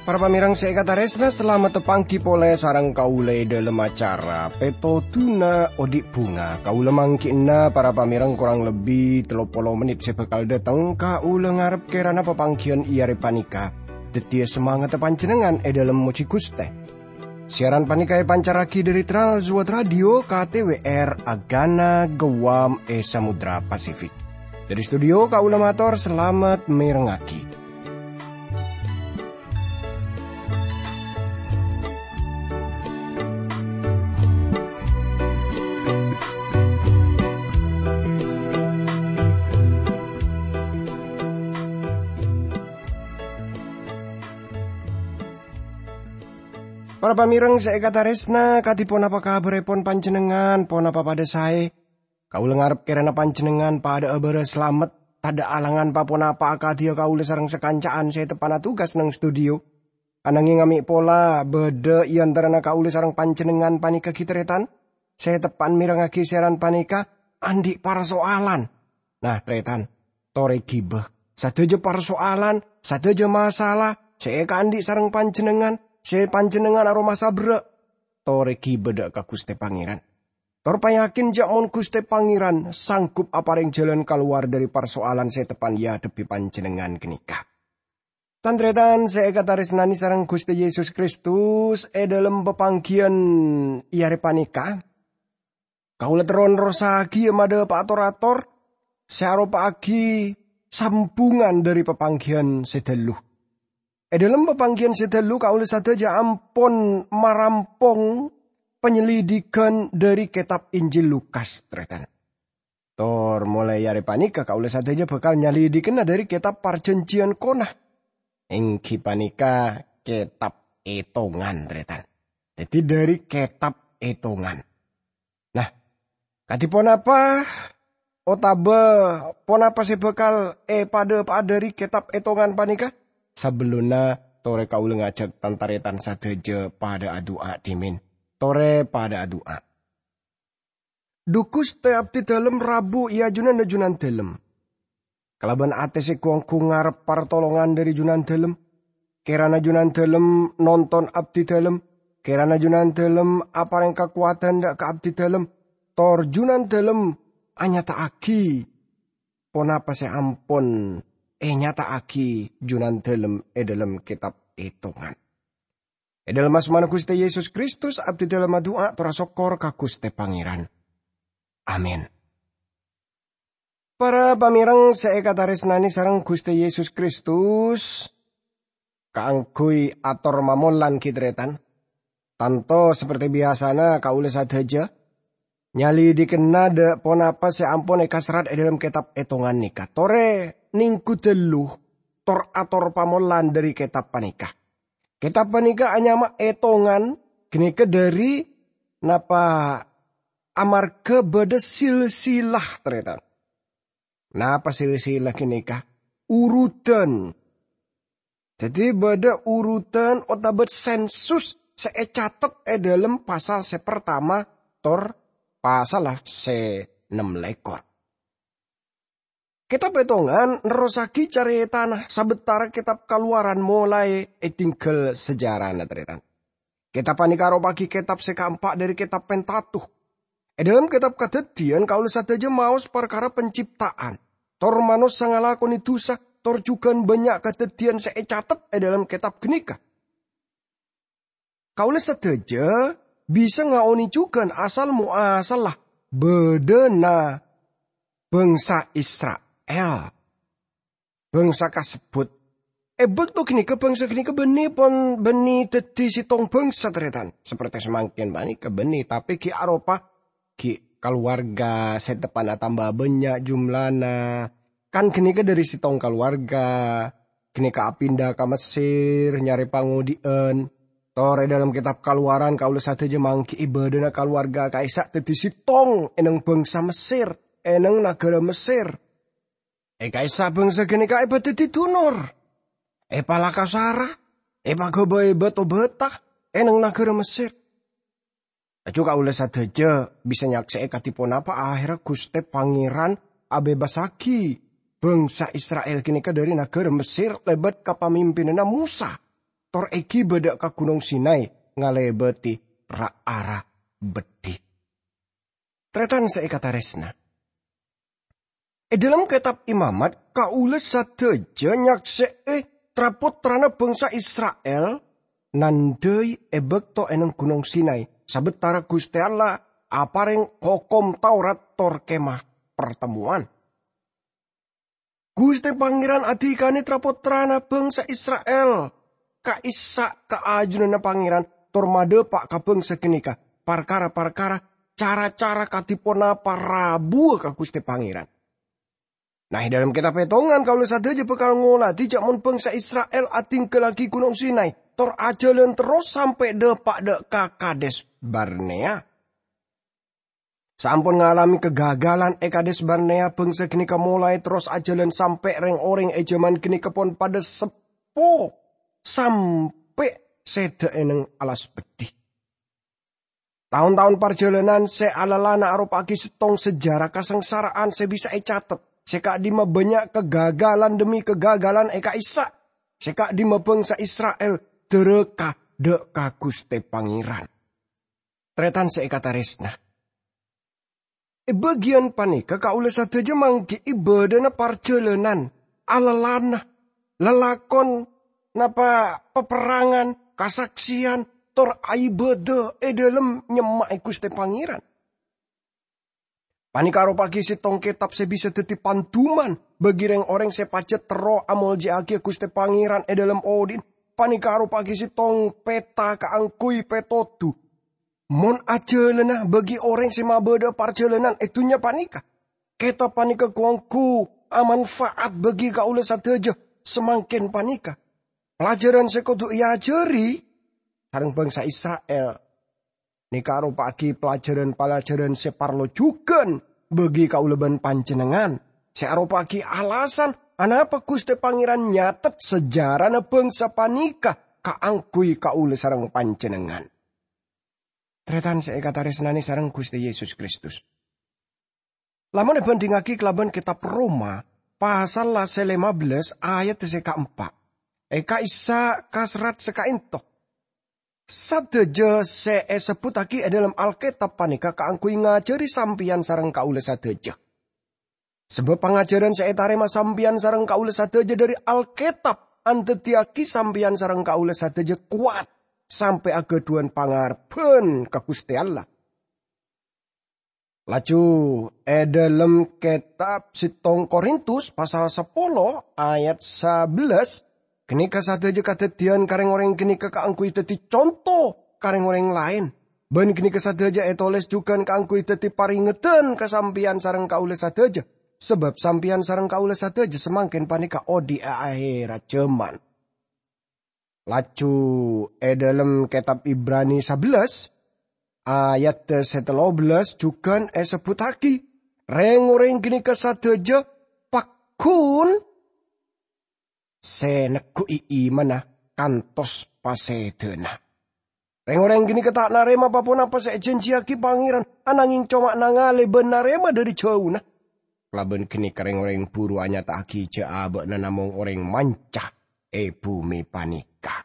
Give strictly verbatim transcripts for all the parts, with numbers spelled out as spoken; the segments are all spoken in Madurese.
Para pamèrèng sè èkatarèsna, salamet panggi polè sareng kaulâ è dhâlem acara Pètodhuna Odi' Bhunga. Kaulâ mangghi'na para pamèrèng korang lebbi tello polo mennit sè bhâkal dhâteng. Kaulâ ngarep kèrana papangghiyân è arè panèka dhâddhiyâ samangatta panjhennengngan è dhâlem mojhi Ghustè. Siaran panèka èpancarraghi dhâri Trans World Radio K T W R Agana Guam è Samudra Pasifik. Dhâri studio kaulâ mator salamet mèrengngaghi. Para pamèrèng sè èkatarèsna, kadhi ponapa kabhârèpon panjhennengngan? Ponapa padhâ saè? Kaulâ ngarep kèrana panjhennengngan padhâ'â bârâs salamet, tadhâ' alangan pa-ponapa akadhiyâ kaulâ sareng sakanca'an sè teppa'na tugas neng studio. Ananghing amè' pola bâdâ è antarana kaulâ sareng panjhennengngan panèka ghi' tarètan sè teppa'na mèrengngaghi siaran panèka andi' parsoalan. Nah, tarètan, torè ghibâ. Sadhâjâ parsoalan, sadhâjâ masalah sè èkaandi' sareng panjhennengngan, sè panjhennengngan aromasa berrâ', torè ghibâ dâ' ka Ghustè Pangèran. Tor payakin jâ' mon Ghustè Pangèran sanggup aparèng jhâlân kalowar dhâri parsoalan sè teppa'na èadhebbhi panjhennengngan ghânèka. Tan-tarètan sè èkatarèsnanè sareng Ghustè Yesus Kristus, è dhâlem papangghiyân è arè panèka, kaulâ terro nerrossaghiyâ madhâpa'a tor-ator sè aropa'aghi sambhungan dhâri papangghiyân sè dhâllu. È dhâlem papangghiyân sè dhâllu, kaulâ sadhâjâ ampon marampong panyelidikan dhâri kètab Injil Lukas, tarètan. Tor molaè arè panèka kaulâ sadhâjâ bhâkal nyalidikana dhâri kètab Parjhânjhiyân Kona, èngghi panèka kètab Ètongan, tarètan. Dhâddhi, dhâri kètab Ètongan. Nah, kadhi ponapa otabâ ponapa sè bhâkal èpadhâpa'a dhâri kètab Ètongan panèka? Sabellunna, torè kaulâ ngajhâk tan-tarètan sadhâjâ padhâ adu'a dhimèn. Torè padhâ adu'a. Dhu Ghustè, abdhi dhâlem rabu è ajunanna Junandhâlem. Kalabân atè sè gu-onggu ngarep partolongan dhâri Junandhâlem. Kèrana Junandhâlem nonton abdhi dhâlem, kèrana Junandhâlem aparèng kakowadhân dâ' ka abdhi dhâlem, tor Junandhâlem anyata'aghi ponapa sè ampon ènyata'aghi Junandhâlem è dhâlem kètab Ètongan. È dhâlem asmana Ghustè Yesus Kristus, abdhi dhâlem adu'a tor asokkor ka Ghustè Pangèran. Amin. Para pamèrèng sè èkatarèsnanè sareng Ghustè Yesus Kristus, kaangghuy ator mamolan ghi' tarètan, tanto saperti biyasana kaulâ sadhâjâ nyalidikana dâ' ponapa sè ampon èkaserrat è dhâlem kètab Ètongan nèka. Torè nèngghu dhâllu tor-ator pamolan dhâri kètab panèka. Kètab panèka anyama Ètongan ghânèka dhâri napa amarghâ bâdâ silsilah, tarètan. Napa silsilah ghânèka? Urutan. Dhâddhi, bâdâ urutan otabâ sensus sè ècatet è dhâlem pasal sè partama tor pasal sè ennem lèkor. Kètab Ètongan nerrossaghi carètana sabâtara kètab Kalowaran molaè èdingghâl sajarana, tarètan. Kètab panèka aropa'aghi kètab sè kaempa' dhâri kètab Pentatukh. È dhâlem kètab Kadhâddhiyân, kaulâ sadhâjâ maos parkara pancipta'an, tor manossa ngalakonè dhusa, tor jhughân bânnya' kadhâddhiyân sè ècatet è dhâlem kètab ghânèka. Kaulâ sadhâjâ bisa ngaonè jhughân asal moasalla bâdâna bhângsa Isra'il. Bhângsa kasebbhut. È bâkto ghânèka bhângsa ghânèka bânnè pon bânnè dhâddhi sèttong bhângsa, tarètan. Saperti samangkèn panèka bânnè, tapè ghi' aropa ghi' kalowarga sè teppa'na tamba bânnya' jumlana. Kan ghânèka dhâri sèttong kalowarga, ghânèka apinda ka Messer, nyarè pangodhi'ân. Tor è dhâlem kètab Kalowaran kaulâ sadhâjâ mangghi'i bâdâna kalowarga ka'issa' dhâddhi sèttong è neng bhângsa Messer, è neng naghârâ Messer. È ka'issa' bhângsa ghânèka èpadhâddhi dunor, èpalakasara, èpaghâbây bâto bâta, è neng naghârâ Messer. Laju kaulâ sadhâjâ bisa nyaksè'è kadhi ponapa ahèrra Ghustè Pangèran abhebbassaghi bhângsa Isra'il ghânèka dhâri naghârâ Messer lèbât kapamimpinanna Mosa, tor èghibâ dâ' ka Ghunong Sinai ngalèbâti ra-ara beddhi. Tarètan sè èkatarèsna. È dhâlem Kètab Imamat, kaulâ sadhâjâ nyaksè'è tra-pottrana bhângsa Isra'il nandhâi è bâkto è neng Ghunong Sinai, sabâtara Ghustè Allah aparèng Hokom Taurat tor Kemah Partemmowan. Ghustè Pangèran adhikanè tra-pottrana bhângsa Isra'il ka'issa' ka ajunanna Pangèran tor madhâpa' ka bhângsa ghânèka parkara-parkara, cara-cara kadhi ponapa rabuwâ ka Ghustè Pangèran. Nah, è dhâlem Kètab Ètongan kaulâ sadhâjâ bhâkal ngolatè jhâ' mon bhângsa Isra'il adhingghâllaghi Ghunong Sinai, tor ajhâlân terros sampè' dhâpa' dâ' ka Kades Barnea. Saampon ngalamè kagagalan è Kades Barnea, bhângsa ghânèka molaè terros ajhâlân sampè' rèng-orèng è jhâman ghânèka pon padâ seppo sampè' sèdhâ è neng alas beddhi. Taon-taon parjhâlânan sè alalana aropa'aghi sèttong sejarah kasangsara'an sè bisa ècatet, sè ka'dimma bânnya' kagagalan dhemmi kagagalan è ka'issa', sè ka'dimma bhângsa Isra'il dârâka dâ' ka Ghustè Pangèran. Tarètan sè èkatarèsna. È bâgiyân panèka kaulâ sadhâjâ mangghi'i bâdâna parjhâlânan, alalana, lalakon, napa paperrangan, kasaksèyan, tor aibâdâ è dhâlem nyemma'è Ghustè Pangèran. Panèka aropa'aghi sèttong kètab sè bisa dhâddhi panduman bagi rèng-orèng sè pajhât terro amoljâ'aghi Ghustè Pangèran è dhâlem odi'na. Panèka aropa'aghi sèttong pèta kaangghuy pètodhu mon ajhâlâna bagi orèng sè mabâdâ'â parjhâlânan è dhunnya panèka. Kètab panèka ghu-ongghu amanfa'at bagi kaulâ sadhâjâ samangkèn panèka. Pelajaran sè kodhu èajhâri sareng bhângsa Isra'il nèka aropa'aghi pelajaran-pelajaran sè parlo jhughân bagi kaulâ bân panjhennengngan, sè aropa'aghi alasan anapa Ghustè Pangèran nyatet sejarana bhângsa panèka kaangghuy kaulâ sareng panjhennengngan. Tarètan sè èkatarèsnanè sareng Ghustè Yesus Kristus. Lamon èbhândhingngaghi kalabân Kètab Roma, pasal la sè lèma bellâs ayat sè kaempa', è ka'issa' ka serrat sè ka'ènto. Sadhâjâ sè èsebbhuttaghi è dhâlem Alkètab panèka kaangghuy ngajhâri sampèyan sareng kaulâ sadhâjâ. Sabâb pangajhârân sè ètarèma sampèyan sareng kaulâ sadhâjâ dhâri Alkètab andhâddhiyâghi sampèyan sareng kaulâ sadhâjâ kowat sampè' aghâdhuwân pangarebbhân ka Ghustè Allah. Laju, è dhâlem kètab sèttong Korintus pasal sapolo ayat sabellâs, ghânèka sadhâjâ kadhâddhiyân ka rèng-orèng ghânèka kaangghuy dhâddhi conto ka rèng-orèng laèn. Bân ghânèka sadhâjâ ètolès jhughân kaangghuy dhâddhi parèngedhân ka sampèyan sareng kaulâ sadhâjâ, sabâb sampèyan sareng kaulâ sadhâjâ samangkèn panèka odi' è ahèrra jhâman. Laju è dhâlem kètab Ibrani sabellâs, ayat sè tello bellâs jhughân èsebbhuttaghi, rèng-orèng ghânèka sadhâjâ pagghun sè negghu'i imanna kantos pasèdhâna. Rèng-orèng ghânèka ta' narèma pa-ponapa sè èjhânjhiyâghi Pangèran, ananghing coma nangalè bân narèma dhâri jhâuna. Kalabân ghânèka rèng-orèng buru anyata'aghi jhâ' abâ'na namong orèng manca è bhumè panèka.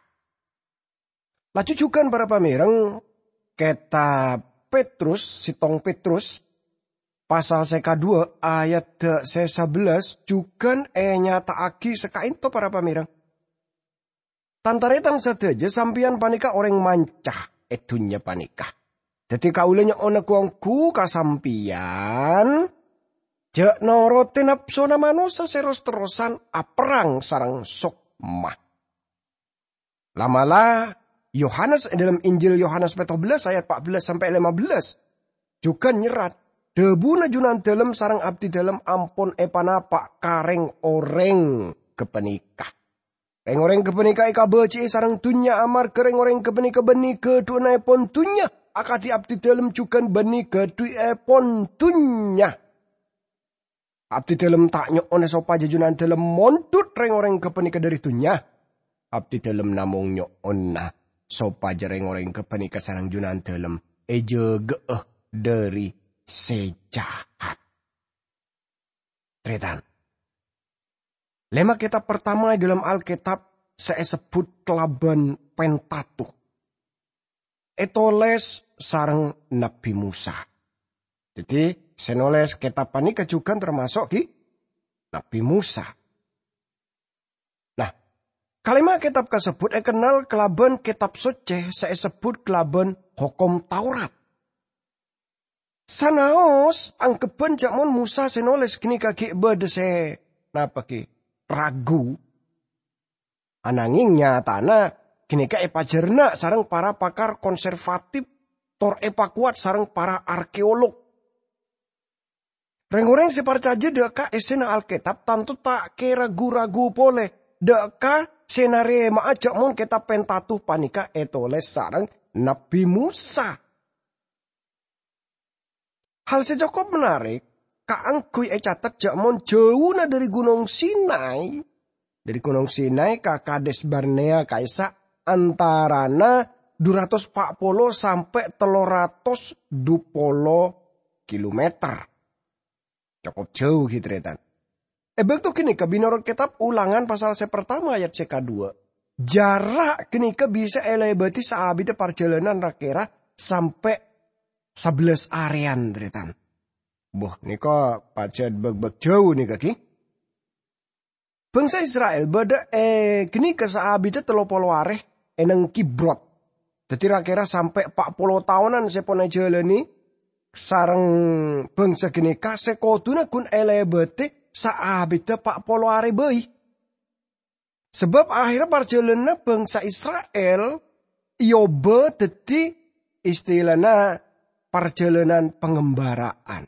Laju jhughân para pamèreng, kètab Petrus, sèttong Petrus, pasal sè kadhuwâ', ayat sè sabellâs, jhughân ènyata'aghi sakaènto para pamèreng. Tan-tarètan sadhâjâ, sampèyan panèka orèng manca è dhunnya panèka. Dhâddhi kaulâ nyo'ona ghu-ongghu ka sampèyan, jhâ' norote napsona manossa sè ros-terrosan aperrang sareng sokma. La'-mala', Yohanes è dhâlem Injil Yohanes pètto bellâs ayat pa' bellâs sampè' lèma bellâs, jhughân nyerrat, dhâbuna Junandhâlem sareng Abdidhâlem ampon èpanapa' ka rèng-orèng ghâpanèka. Rèng-orèng ghâpanèka èkabâji'i sareng dhunnya amarghâ rèng-orèng ghâpanèka bânnè ghâdhuwânnaèpon dhunnya, akadhi Abdidhâlem jhughân bânnè ghâdhuwi'èpon dhunnya. Abdidhâlem ta' nyo'ona sopajâ Junandhâlem mondhut rèng-orèng ghâpanèka dhâri dhunnya. Abdidhâlem namong nyo'ona sopajâ rèng-orèng ghâpanèka sareng Junandalem èjâgâ'â dhâri sè jahat. Tarètan. Lèma' kètab partama è dhâlem Alkètab sè èsebbhut kalabân Pentatukh. Ètolès sareng Nabbhi Mosa. Dhâddhi, sè nolès kètab panèka jhughân tamaso' ghi' Nabbhi Mosa. Nah, kalèma' kètab kasebbhut èkennal kalabân Kètab Soccè sè èsebbhut kalabân Hokom Taurat. Sanaos anggheppan jhâ' mon Mosa sè nolès ghânèka ghi' bâdâ sè, napa ghi', ragu. Ananging nyatana ghânèka èpajhârna sareng para pakar konservatif tor èpakowat sareng para arkeolog. Rèng-orèng sè parcajâ dâ' ka èssèna Alkètab tanto ta' kèra gu-ragu polè dâ' ka sè narèma'a jhâ' mon Kètab Pentatukh panèka ètolès sareng Nabbhi Mosa. Hal sè cokop menarik kaangghuy ècatet jhâ' mon jhâuna dhâri Ghunong Sinai, dhâri Ghunong Sinai ka Kades Barnea ka'issa' antarana dhu ratos pa' polo sampè' tello ratos dhu polo kilometer. Cokop jhâu, ghi, tarètan. È bâkto ghânèka, mènorot kètab Ulangan pasal sè partama ayat sè kadhuwâ, jhârâ' ghânèka bisa èlèbâdhi saabidhâ parjhâlânan ra-kèra sampè' sabellâs arèyan, tarètan. Bâh, nèka pajhât bâk-bâk jhâu nèka, ghi. Bhângsa Isra'il bâdâ è ghânèka saabidhâ tello polo arè è neng Kibrot. Dhâddhi, ra-kèra sampè' pa' polo taonan sè pon èjhâlâni sareng bhângsa ghânèka sè kodhuna ghun èlèbâdhi saabidhâ pa' polo arè bhâi. Sabâb ahèrra parjhâlânanna bhângsa Isra'il èobâ dhâddhi istilana parjhâlânan pangembara'an.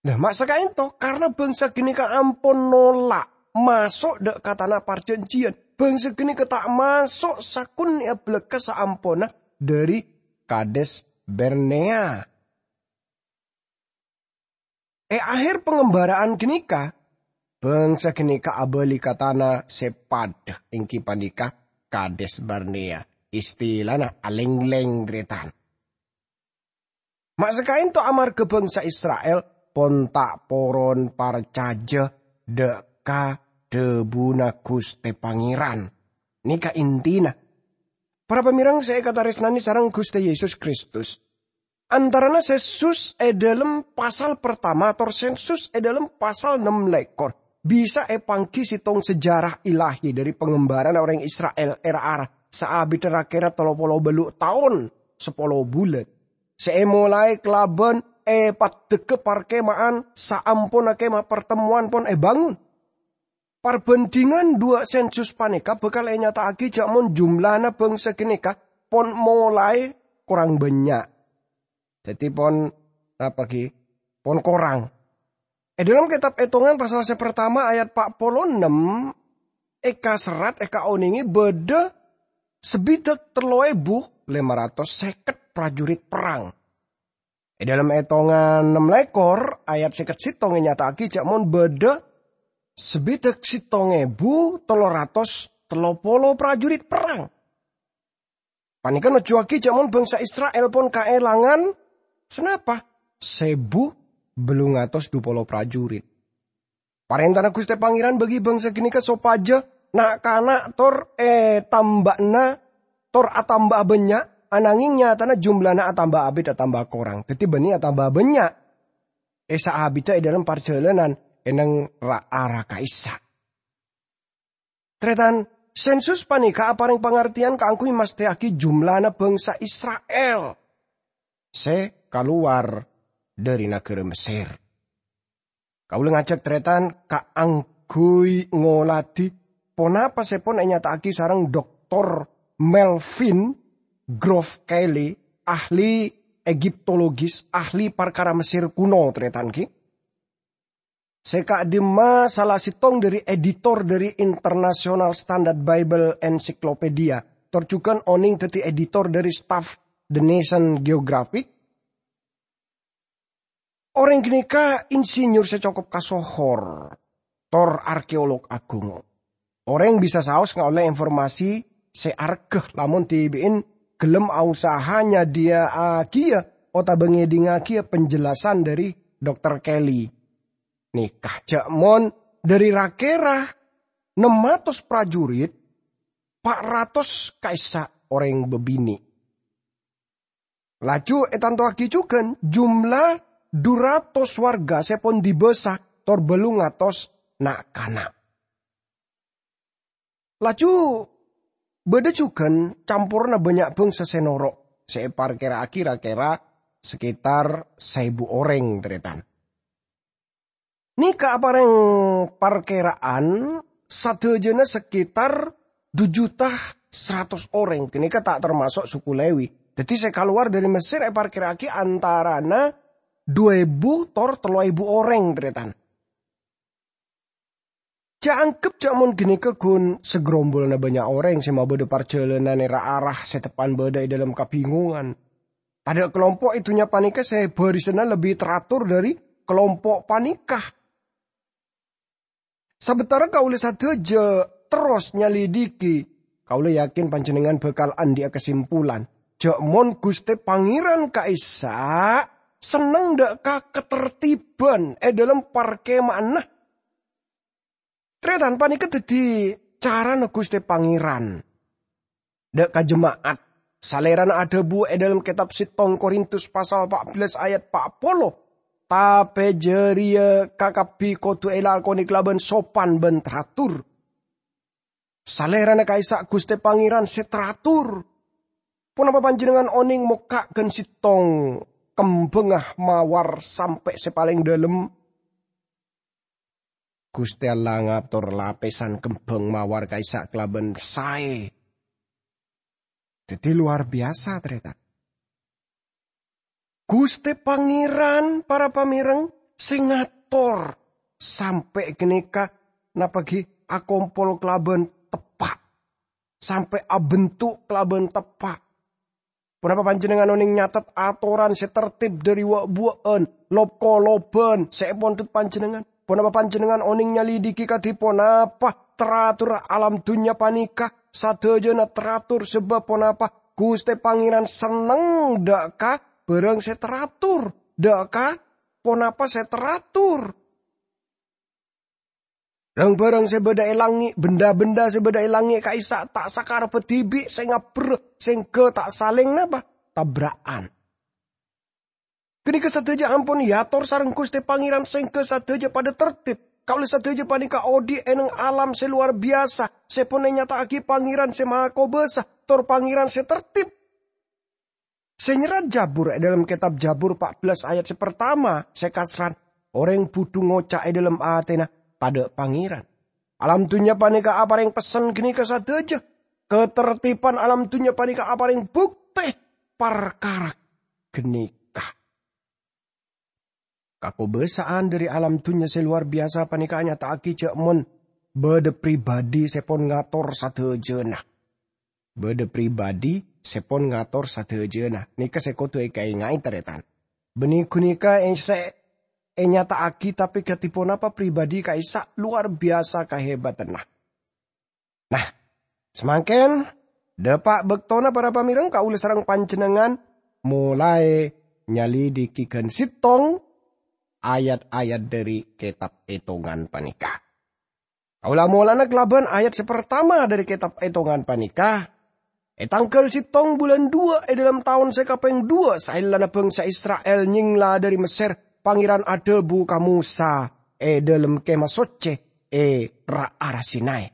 Lah, ma' sakaènto, karna bhângsa ghânèka ampon nolak maso' dâ' ka Tana Parjhânjiyân, bhângsa ghânèka ta' maso' sakonè' abâlâkka saamponna dhâri Kades Barnea. È ahèr pangembara'an ghânèka, bhângsa ghânèka abâli ka tana sè padâ, èngghi panèka Kades Barnea, istilana alènglèng, tarètan. Ma' sakaènto amarghâ bhângsa Isra'il pon ta' poron parcajâ dâ' ka dhâbuna Ghustè Pangèran. Nèka intina. Para pamèreng sè èkatarèsnanè sareng Ghustè Yesus Kristus, antarana sensus è dhâlem pasal partama tor sensus è dhâlem pasal nem lèkor bisa èpangghi sèttong sejarah ilahi dhâri pangembara'anna orèng Isra'il è ra-ara saabidhâ ra-kèra tello polo bâllu' taon sapolo bulân. Sè èmolaè kalabân èpaddhâghâ parkema'an saamponna Kemah Partemmowan pon èbângon. Parbhândhingan dhuwâ' sensus panèka bhâkal ènyata'aghi jhâ' mon jumlana bhângsa ghânèka pon molaè korang bânnya'. Dhâddhi pon, napa ghi? Pon korang. È dhâlem Kètab Ètongan pasal sè partama ayat pa' polo ennem, èkaserrat, èkaonèngè bâdâ sabidhâk tello èbu lèma ratos sèket prajurit perrang. È dhâlem Ètongan nem lèkor ayat sèket sèttong ènyata'aghi jhâ' mon bâdâ sabidhâk sèttong èbu tello ratos tello polo prajurit perrang. Panèka nojjhuwâghi jhâ' mon bhângsa Isra'il pon kaèlangan sanapa? Sèbu bâllung atos dhu polo prajurit. Parèntana Ghustè Pangèran bagi bhângsa ghânèka sopajâ na'-kana' tor ètambâ'âna, tor atamba'a bânnya', anangèng nyatana jumlana atamba abit atamba korang. Dhâddhi bânnè atamba bânnya' è saabidhâ è dhâlem parjhâlânan è neng ra-ara ka'issa'. Tarètan, sensus panèka aparèng pangartèyan kaangghuy mastèyaghi jumlana bhângsa Isra'il sè kalowar dhâri naghârâ Messèr. Kaulâ ngajhâk tarètan kaangghuy ngoladhi ponapa sè pon ènyata'aghi sareng Doktor Melvin Groff Kelly, ahli Egiptologis, ahli parkara Messèr kuno, tarètan, ghi. Sè ka'dimma sala sèttong dhâri editor dhâri International Standard Bible Encyclopedia, tor jhughân onèng dhâddhi editor dhâri staff The National Geographic. Orèng ghânèka insinyur sè cokop kasohor, tor arkeolog aghung. Orèng bisa saos ngaollè informasi sè arghâ lamon dhibi'in ghellem ausaha nyadhiyâ'âghiyâ otabâ ngèdingngaghi penjelasan dhâri Dokter Kelly. Nèka jhâ' mon dhâri ra-kèra nem atos prajurit, pa' ratos ka'issa' orèng bâbinè'. Laju ètantowaghi jhughân jumlah dhu ratos warga sè pon dibâsa tor bâllu' atos na'-kana'. Laju bâdâ jhughân camporra bânnya' bhângsa sè noro', sè èparkèra'aghi ra-kèra sekitar saèbu orèng, tarètan. Nèka aparèng parkèra'an sadhâjâna sekitar dhu juta saratos orèng. Ghânèka ta' tamaso' suku Lewi. Dhâddhi sè kalowar dhâri Mesir èparkèra'aghi antarana dhu èbu tor tello èbu orèng, tarètan. Jhâ' angghep jhâ' mon ghânèka ghun sagrombolowanna bânnya' orèng sè mabâdâ parjhâlânan è ra-ara sè teppa'na bâdâ è dhâlem kabingongan. Tadâ' kalompo' è dhunnya panèka sè bârisanna lebbi teratur dhâri kalompo' panèka. Sabâtara kaulâ sadhâjâ terros nyalidiki, kaulâ yakin panjhennengngan bhâkal andi'â kasimpulan jhâ' mon Ghustè Pangèran ka'issa' senneng dâ' ka katertiban è dhâlem parkèma'anna. Tarètan, panèka dhâddhi carana Ghustè Pangèran dâ' ka jema'at. Salèrana adhâbu è dhâlem kètab settong Korintus pasal pa' bellâs ayat pa' polo, "Tapè jârèya kakabbhi kodhu èlakonè kalabân sopan bân teratur." Salèrana ka'issa' Ghustè Pangèran sè teratur. Ponapa panjhennengngan onèng mokka' ghân settong kembhângnga mawar sampè' sè palèng dhâlem? Ghustè Allah ngator lapèsan kembhâng mawar ka'issa' kalabân saè. Dhâddhi lowar biyasa, tarètan. Ghustè Pangèran, para pamèreng, sè ngator sampè' ghânèka, napa ghi, akompol kalabân teppa', sampè' abentuk kalabân teppa'. Ponapa panjhennengngan onèng nyatet atoran sè tertib dhâri wa'-buwa'an, lob-kolobhân sè èpondhut panjhennengngan? Ponapa panjhennengngan onèng nyalidiki kadhi ponapa teraturra alam dhunnya panèka? Sadhâjâna teratur, sabâb ponapa? Ghustè Pangèran senneng dâ' ka bhârâng sè teratur, dâ' ka ponapa sè teratur. Rang-bhârâng sè bâdâ è langngè', benda-benda sè bâdâ è langngè' ka'issa' ta' sakarebbhâ dhibi' sè ngabbherrâ, sèngghâ ta' salèng napa? Tabra'an. Ghânèka sadhâjâ ampon èator sareng Ghustè Pangèran sèngghâ sadhâjâ padâ tertib. Kaulâ sadhâjâ panèka odi' è neng alam sè lowar biyasa, sè pon ènyata'aghi Pangèran sè Mahakobâsa, tor Pangèran sè tertib. Sè nyerrat Jabur è dhâlem kètab Jabur pa' bellâs ayat sè partama sè kaserran, orèng budhu ngoca' è dhâlem atèna, "Tadâ' Pangèran." Alam dhunnya panèka aparèng pessen ghânèka sadhâjâ. Katertiban alam dhunnya panèka aparèng buktè parkara ghânèka. Kakobâsa'an dhâri alam dhunnya sè lowar biyasa panèka anyata'aghi jhâ' mon bâdâ pribadi sè pon ngator sadhâjâna. Bâdâ pribadi sè pon ngator sadhâjâna. Nèka sè kodhu èkaènga'è, tarètan. Bânnè ghânèka è-, sè ènyata'aghi, tapè kadhi ponapa pribadi ka'issa' lowar biyasa kahebâtanna. Nah, samangkèn, dâpa' bâktona para pamèreng kaulâ sareng panjhennengngan molaè nyalidiki ghân settong ayat-ayat dhâri kètab Ètongan panèka. Kaulâ molana kalabân ayat sè partama dhâri kètab Ètongan panèka, "È tangghâl settong bulân duwâ' è dhâlem taon sè kapèng duwâ' saellana bhângsa Isra'il nyèngla dhâri Messèr, Pangèran adhâbu ka Mosa è dhâlem Kèma Soccè è ra-ara Sinai."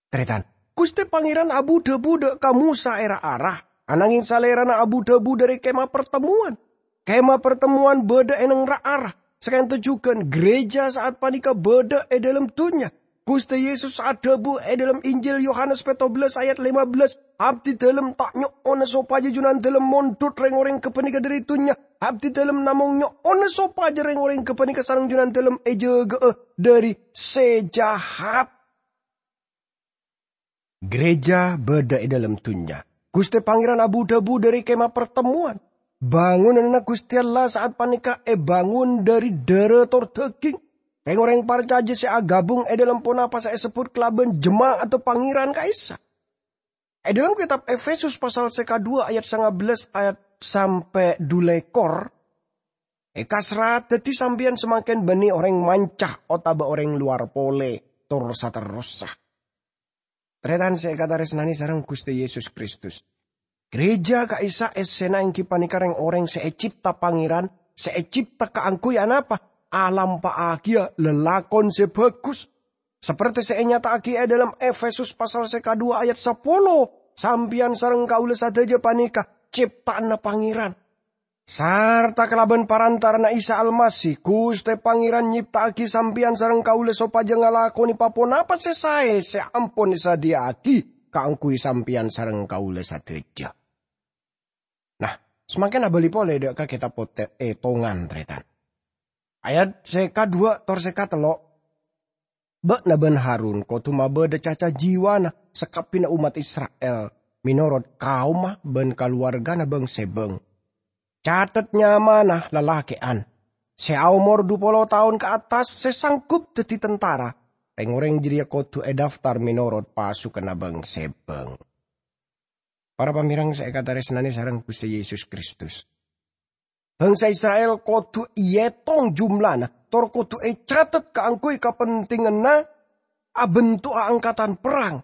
Tarètan, Ghustè Pangèran abu-dhâbu dâ' ka Mosa è ra-ara, ananghèng Salèrana abu-dhâbu dhâri Kèma Partemmowan. Kèma Partemmowan bâdâ è neng ra-ara. Saka'dinto jhughân, ghârèjâ sa'at panèka bâdâ è dhâlem dhunnya. Ghustè Yesus adhâbu è dhâlem Injil Yohanes pètto bellâs ayat lèma bellâs, "Abdhidhâlem ta' nyo'ona sopajâ Junandhâlem mondhut rèng-orèng ghâpanèka dhâri dhunnya. Abdhidhâlem namong nyo'ona sopajâ rèng-orèng ghâpanèka sareng Junandhâlem èjâgâ'â dhâri sè jahat." Ghârèjâ bâdâ è dhâlem dhunnya. Ghustè Pangèran abu-dhâbu dhâri Kèma Partemmowan. Bângonanna Ghustè Allah sa'at panèka èbângon dhâri dhârâ tor dhâghing. Rèng-orèng parcajâ sè aghâbung è dhâlem ponapa sè èsebbhut kalabân jema'adda Pangèran ka'issa'. È dhâlem kètab Efesus pasal sè kadhuwâ' ayat sanga bellâs ayat sampè' dhu lèkor, èkaserrat dhâddhi sampèyan samangkèn bânnè orèng manca otabâ orèng lowar polè, tor saterrossa. Tarètan sè èkatarèsnanè sareng Ghustè Yesus Kristus. Ghârèjâ ka'issa' èssèna èngghi panèka rèng-orèng sè ècèpta Pangèran, sè ècèpta kaangghuy anapa? Alampa'aghiyâ lalakon sè bhâghus. Sapertè sè ènyata'aghi è dhâlem Efesus pasal sè kadhuwâ' ayat sapolo, sampèyan sareng kaulâ sadhâjâ panèka cèpta'anna Pangèran. Sarta kalabân parantara'anna Isa Almasih, Ghustè Pangèran nyèpta'aghi sampèyan sareng kaulâ sopajâ ngalakonè pa-ponapa sè saè sè ampon èsadhiyâ'aghi kaangghuy sampèyan sareng kaulâ sadhâjâ. Nah, samangkèn abâli polè dâ' ka kètab Pothèt Ètongan, tarètan. Ayat sè kadhuwâ' tor sè katello', "Bâ'na bân Harun kodhu mabâdâ caca jiwana sakabbhiyânna ommat Isra'il, mènorot kaomma bân kalowarghâna bhâng-sèbhâng. Catet nyamana lalakè'an sè aomor dhu polo taon ka attas sè sanggup dhâddhi tentara. Rèng-orèng jârèya kodhu èdaftar mènorot pasukanna bhâng-sèbhâng." Para pamèreng sè èkatarèsnanè sareng Ghustè Yesus Kristus. Bhângsa Isra'il kodhu èètong jumlana, tor kodhu ècatet kaangghuy kapentènganna abhânto'a angkatan perrang.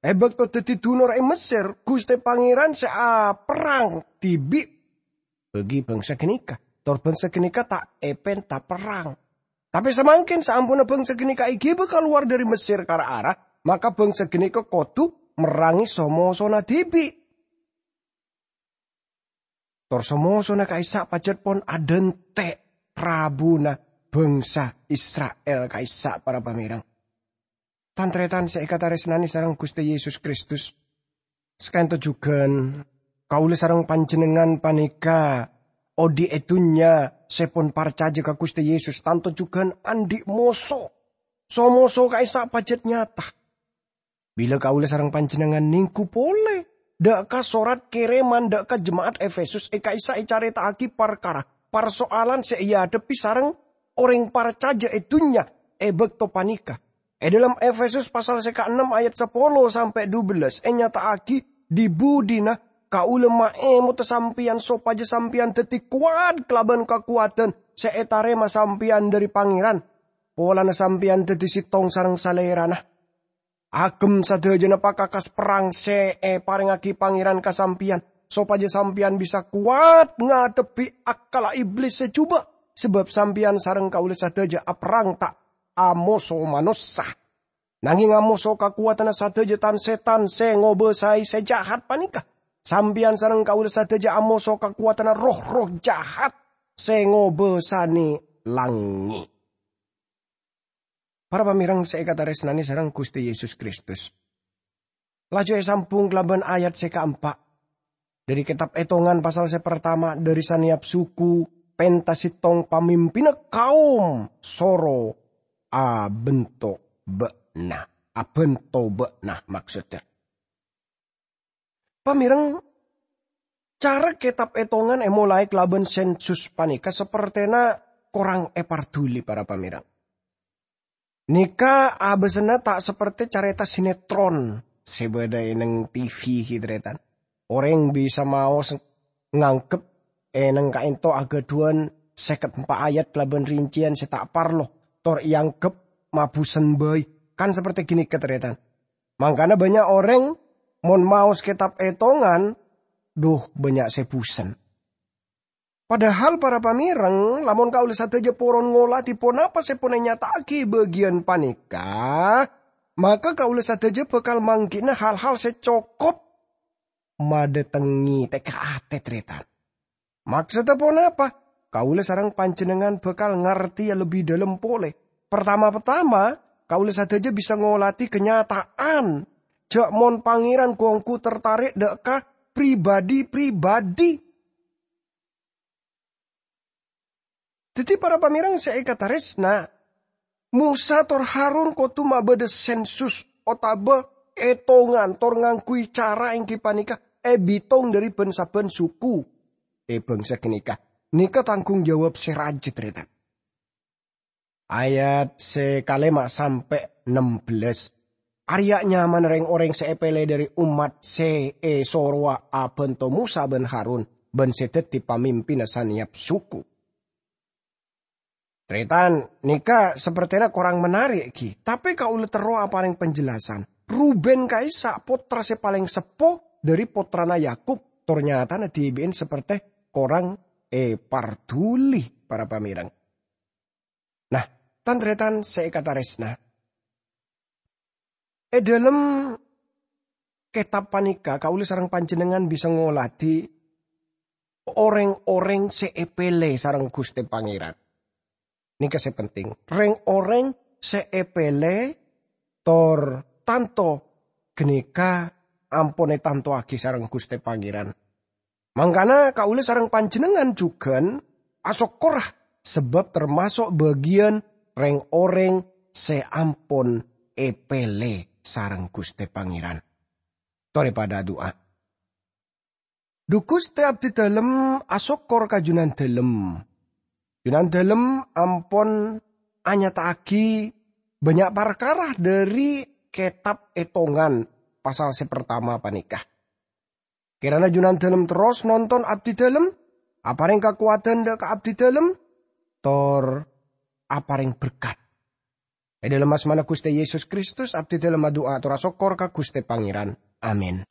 È bâkto dhâddhi dunor è Messèr, Ghustè Pangèran sè aperrang dhibi' bagi bhângsa ghânèka, tor bhângsa ghânèka ta' èpènta perrang. Tapè samangkèn saamponna bhângsa ghânèka èghibâ kalowar dhâri Messèr ka ra-ara, maka bhângsa ghânèka kodhu merrangè so-mosona dhibi'. Tor so-mosona ka'issa' pajhât pon adhânte' rabuna bhângsa Isra'il ka'issa', para pamèreng. Tan-tarètan sè èkatarèsnanè sareng Ghustè Yesus Kristus, saka'dinto jhughân kaulâ sareng panjhennengngan panèka odi' è dhunnya sè pon parcajâ ka Ghustè Yesus, tanto jhughân andi' moso. So-moso ka'issa' pajhât nyata. Bilâ kaulâ sareng panjhennengngan nèngghu polè dâ' ka sorat kèrèman dâ' ka jema'at Efesus è ka'issa' ècarèta'aghi parkara parsoalan sè èadhebbhi sareng orèng parcajâ è dhunnya è bâkto panèka. È dhâlem Efesus pasal sè kaennem ayat sapolo sampè' dubellâs ènyata'aghi dhi-budhina kaulâ maèmotta sampèyan sopajâ sampèyan dhâddhi kowat kalabân kakowadhân sè ètarèma sampèyan dhâri Pangèran, polana sampèyan dhâddhi sèttong sareng Salèrana. Agem sadhâjâna pakakas perrang sè èparèngaghi Pangèran ka sampèyan, sopajâ sampèyan bisa kowat ngadhebbhi akkalla Iblis sè jhubâ', sabâb sampèyan sareng kaulâ sadhâjâ aperrang ta' amoso manossa, nangèng amoso kakowadhânna sadhâjâ tan-sètan sè ngobâsaè sè jahat panèka. Sampèyan sareng kaulâ sadhâjâ amoso kakowadhânna roh-erroh jahat sè ngobâsanè langngè'. Para pamèreng sè èkatarèsnanè sareng Ghustè Yesus Kristus. Laju èsambhung kalabân ayat sè kaempa'. Dhâri kètab Ètongan pasal sè partama, dhâri sanèyap suku pènta sèttong pamimpinna kaom soro abhânto bâ'na. Abhânto bâ'na maksodda. Pamèreng, cara kètab Ètongan èmolaè kalabân sensus panèka sapertèna korang èparduli, para pamèreng. Nèka abâsana ta' sapertè carèta sinetron sè bâdâ è neng T V, ghi, tarètan. Orèng bisa maos nganggep è neng ka'dinto aghâdhuwân sèket empa' ayat kalabân rinciyan sè ta' parlo, tor èanggep mabusen bhâi. Kan sapertè ghânèka, tarètan. Mangkana bânnya' orèng mon maos kètab Ètongan, dhu, bânnya' sè busen. Padahal, para pamèreng, lamon kaulâ sadhâjâ poron ngolatè ponapa sè pon ènyata'aghi bâgiyân panèka, maka kaulâ sadhâjâ bhâkal mangghi'na hal-hal sè cokop madhâtengngè tèka atè, tarètan. Maksodda ponapa? Kaulâ sareng panjhennengngan bhâkal ngartèya lebbi dhâlem polè. Partama-partama, kaulâ sadhâjâ bisa ngolatè kanyata'an jhâ' mon Pangèran ghu-ongghu tartarè' dâ' ka pribadhi-pribadhi. Dhâddhi, para pamèreng sè èkatarèsna, Mosa tor Harun kodhu mabâdâ sensus otabâ ètongan tor ngangghuy cara èngghi panèka èbitong dhâri bân-sabbhân suku è bhângsa ghânèka. Nèka tanggung jawab sè rajâ, tarètan. Ayat sè kalèma sampè' nembellâs. Arèya nyamana rèng-orèng sè èpèlè dhâri ommat sè èsorowa abhânto Mosa bân Harun, bân sè dhâddhi pamimpinna sanèyap suku. Tarètan, nèka sapertèna korang menarik, ghi, tapè kaulâ terro aparèng penjelasan. Ruben ka'issa' pottra sè palèng seppo dhâri pottrana Yakub, tor nyatana dhibi'en sapertè korang èparduli, para pamèreng. Nah, tan-tarètan sè èkatarèsna. È dhâlem kètab panèka, kaulâ sareng panjhennengngan bisa ngolatè orèng-orèng sè èpèlè sareng Ghustè Pangèran. Nèka sè penting. Rèng-orèng sè èpèlè tor tanto ghânèka ampon ètantowaghi sareng Ghustè Pangèran. Mangkana kaulâ sareng panjhennengngan jhughân asokkorra sabâb tamaso' bâgiyân rèng-orèng sè ampon èpèlè sareng Ghustè Pangèran. Torè padâ adu'a. Dhu Ghustè, abdhi dhâlem asokkor ka Jhunandhâlem. Jhunandhâlem ampon anyata'aghi bânnya' parkara dhâri kètab Ètongan pasal sè partama panèka. Kèrana Jhunandhâlem terros nonton abdhi dhâlem, aparèng kakowadhân dhâ' ka abdhi dhâlem, tor aparèng berkat. È dhâlem asmana Ghustè Yesus Kristus, abdhi dhâlem adu'a tor asokkor ka Ghustè Pangèran. Amin.